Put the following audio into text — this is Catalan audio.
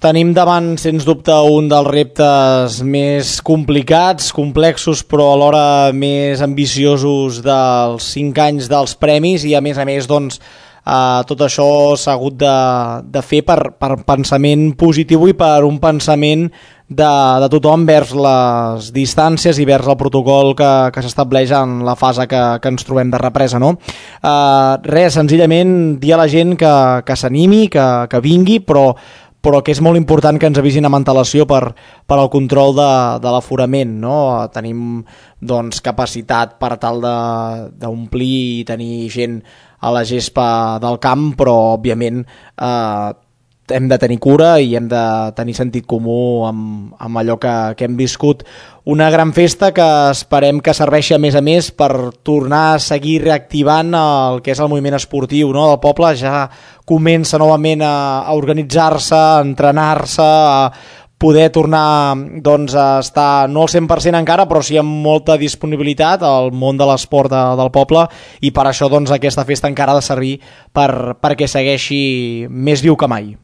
tenim davant, sens dubte, un dels reptes més complicats, complexos, però alhora més ambiciosos dels 5 anys dels premis i, a més, doncs, tot això s'ha hagut de fer per pensament positiu i per un pensament de tothom vers les distàncies i vers el protocol que s'estableix en la fase que ens trobem de represa, no? Res, senzillament dir a la gent que s'animi, que vingui, però que és molt important que ens avisin amb antelació per al control de l'aforament, no? Tenim, doncs, capacitat per tal d'omplir i tenir gent a la gespa del camp, però, òbviament, hem de tenir cura i hem de tenir sentit comú amb allò que hem viscut. Una gran festa que esperem que serveixi, a més, per tornar a seguir reactivant el que és el moviment esportiu, no? El poble ja comença novament a organitzar-se, a entrenar-se, a poder tornar, doncs, a estar no al 100% encara, però sí amb molta disponibilitat al món de l'esport del poble, i per això, doncs, aquesta festa encara ha de servir perquè segueixi més viu que mai.